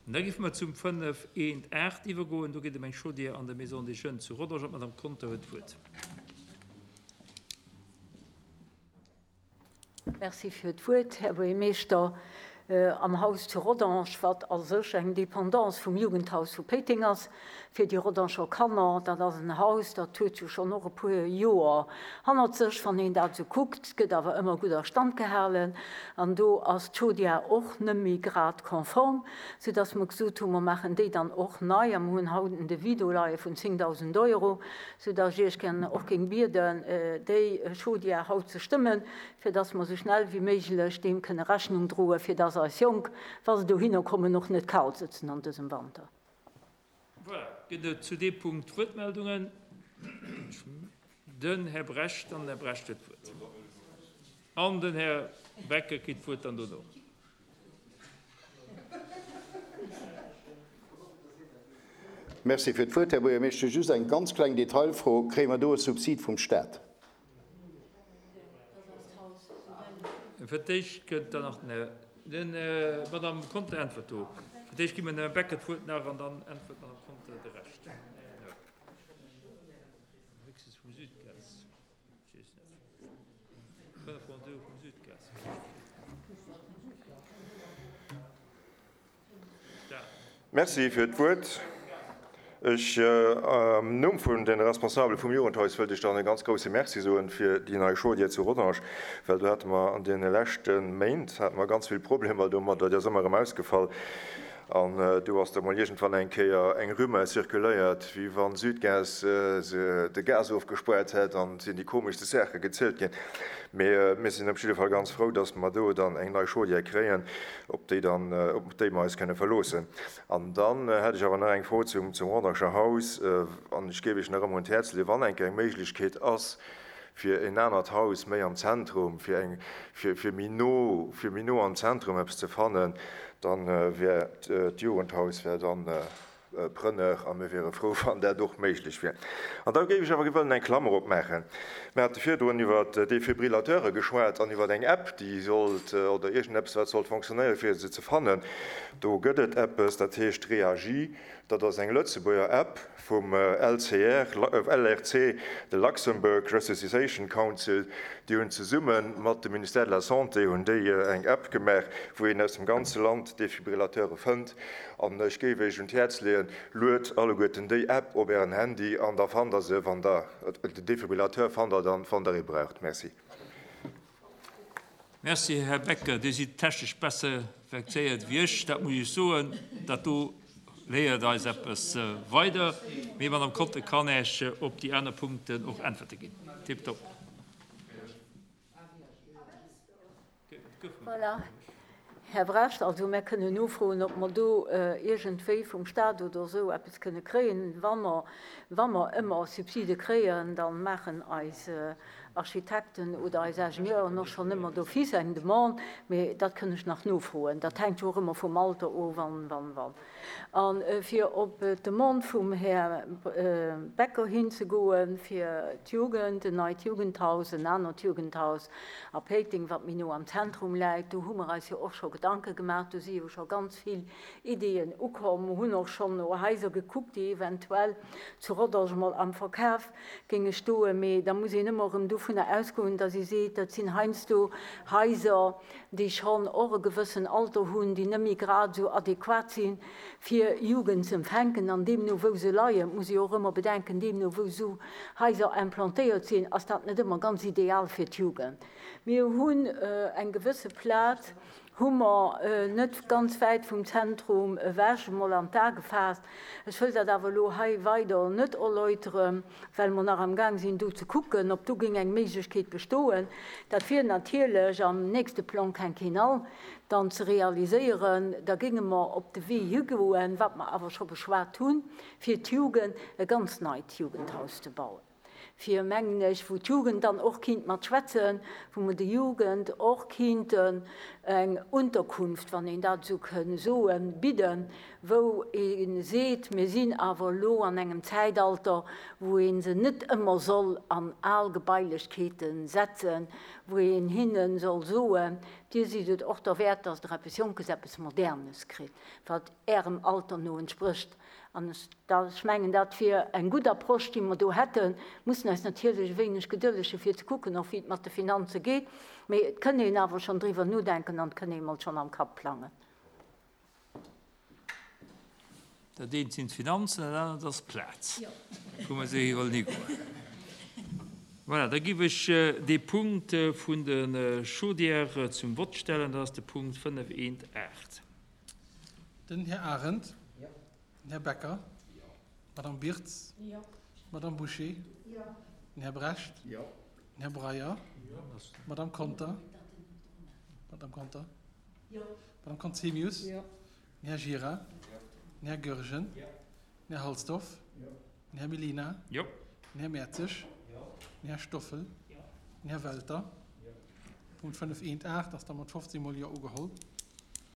An da géife mer zum 5 eent 8 iwwergoen. Do geet et ëm eng Chaudière an der Maison des Jeunes zu Rodange an d'Madame Conter huet d'Wuert. Merci fir d'Wuert, Här Buergermeeschter. Am Haus zu Rodange, wat a sech eng Dépendance vum Jugendhaus vu Péiteng ass, fir déi Rodanger Kanner, dat ass en Haus, dat huet jo schonn och e puer Joer hannert sech, wann een dat esou kuckt, gëtt awer ëmmer gutt a Stand gehalen. An do ass d'Chaudière och net méi grad konform, soudass mer gesot hunn, mer maachen déi dann och nei a mer hunn haut en Devis do leie vun 10.000 Euro, soudass ech Iech gär och géing bieden, déi Chaudière haut ze stëmmen, fir dass mer esou schnell wéi méiglech deem kënne Rechnung droen, fir dass eis Jonk, wa se dohinner kommen, och net kal sëtzen an dësem Wanter. Voilà, gëtt et zu deem Punkt Wuertmeldungen? Den Här Brecht, dann den Här Brecht huet d'Wuert. An den Här Becker kritt d'Wuert dann dono. Merci fir d'Wuert, Här Buergermeeschter. Just eng ganz kleng Detailfro, Kréie mer do e Subsid vum Stat? Fir d'éischt kënnt dann nach den Här, den, d'Madame Conter äntwert do. Fir d'éischt gi mer dem Här Becker d'Wuert nach an dann äntwert d'Madame Conter de Rescht. Héchstens vum Südgas. Merci fir d'Wuert. Ech, am Numm vun den Responsabele vum Jugendhaus, wëllt ech dann e ganz grousse Merci soen fir déi nei Chaudière zu Rodange, well do hate mer an deene leschte Méint hate mer ganz vill Problemer domadder, déi ass ëmmer erëm ausgefall. An do ass da mol iergendwann eng Kéier eng Rumeur zirkuléiert, wéi wann Südgas de Gas ofgespuert hätt an et sinn déi komeschste Saache gezielt ginn. Mee mir sinn op jidde Fall ganz frou, datt mer do dann eng nei Chaudière kréien, op déi dann, op déi mer eis kënne verloossen. An dann hätt ech awer nach eng Fro zum Rodanger Haus an ech géif Iech nach ëmmer un d'Häerz leeën, wann eng Kéier eng Méiglechkeet ass, fir en anert Haus méi am Zentrum, fir eng, fir, fir méi no, fir méi no am Zentrum eppes ze fannen, dann wär d'Jugendhaus wär dann preneur a mir wiere frou, wann dat och méiglech wier. An da géif ech awer wëllen eng Klammer opmaachen. Mir hate virdrun iwwer Defibrillateure geschwat an iwwer eng App, déi sollt, oder iergendeppes, wat sollt fonctionnéieren, fir se ze fannen. Do gëtt et eppes, dat heescht Reagi. Dat ass eng Lëtzebuerger App vum LCR, LRC, de Luxembourg Resuscitation Council. Déi hunn zesumme mat dem Ministère de la Santé hunn déi eng App gemaach, wou een aus dem ganze Land Defibrillateure fënnt. An ech géif Iech un d'Häerz leeën, luet alleguerten déi App op Ären Handy an da fannt Der se, wann Der den Defibrillateur fannt Der dann, wann Der ee braucht. Merci. Merci, Här Becker. Dir sidd technesch besser vexéiert wéi ech, dat muss ech soen. Dat do léiert eis eppes weider. Mee d'Madame Conter kann Äech op déi aner Punkten och Äntwerte ginn. Tiptop. Voilà, Här Brecht, also mär kënnen nofroen, ob mer do iergendwéi vum Stat oder esou eppes kënne kréien. Wa mer, wa mer ëmmer Subside kréien, da maachen eis Architekten oder eis Ingenieuren och schonn ëmmer d'office eng Demande, mee dat kënn ech nach nofroen. Dat hänkt jo och ëmmer vum Alter of an, wann, wann. A fir op d'Demande vum Här Becker hinzegoen, fir d'Jugend, en neit Jugendhaus, en anert Jugendhaus a Péiteng, wat méi no am Zentrum läit, do hu mer eis jo och scho Gedanke gemaach, do si jo scho ganz vill Ideeën ukomm, hunn och schonn no Haiser gekuckt, déi eventuell zu Rodange mol am Verkaf géinge stoen. Mee da muss een ëmmer erëm dovunner ausgoen, datt ee seet, dat sinn heiansdo Haiser, déi schonn och e gewëssen Alter hunn, déi net méi grad esou adequat sinn, fir Jugend ze empfänken. An deemno wou se leien, muss ee och ëmmer bedenken, deemno wou esou Haiser implantéiert sinn, ass dat net ëmmer ganz ideal fir d'Jugend. Mir hunn eng gewësse Plaz, hu mer net ganz wäit vum Zentrum ewech emol an d'A gefaasst. Ech wëll dat awer elo hei weider net erläutere, well mer nach amgaang sinn do ze kucken, ob do géing eng Méiglechkeet bestoen. Dat wier natierlech am nächste Plan quinquennal dann ze realiséieren. Da géinge mer op de Wee higoen, wat mer awer scho beschwat hunn, fir d'Jugend e ganz neit Jugendhaus ze bauen. fir, mengen ech, wou d'Jugend dann och kinnt mat schwätzen, wou mer der Jugend och kinnten eng Unterkunft, wann een dat esou kënn soen, bidden, wou ee seet, mir sinn awer elo an engem Zäitalter, wou ee se net ëmmer soll an al Gebailechkeete setzen, wou een hinne soll soen, Dir sidd et och derwäert, dass Der eppes Jonkes, eppes Modernes kritt, wat Ärem Alter no entsprécht. An ech, ech mengen, dat wier eng gutt Approche, déi mer do hätten. Mussen eis natierlech e wéineg gedëllege fir ze kucken och, wéi et mat de Finanze geet. Mee et kënn een awer schonn driwwer nodenken an et kënn ee mol schonn am Kapp plangen. Dat eent sinn d'Finanzen, dat anert ass d'Plaz, wou mer se hi wollen higoen. Voilà, da giff ech dee Punkt vun de Chaudièrë zum Vott stellen. Dat ass de Punkt 5.1.8. Den Här Arendt. Den Här Becker. D'Madame Birtz. D'Madame Bouché. Den Här Brecht. Den Här Breyer. D'Madame Conter. D'Madame Conter. D'Madame Conzemius. Den Här Gira. Den Här Goergen. Den Här Halsdorf. Den Här Mellina. Den Här Mertzig. Den Här Stoffel. Den Här Welter. Punkt 5.1.8 ass da mat 15 mol Jo ugeholl.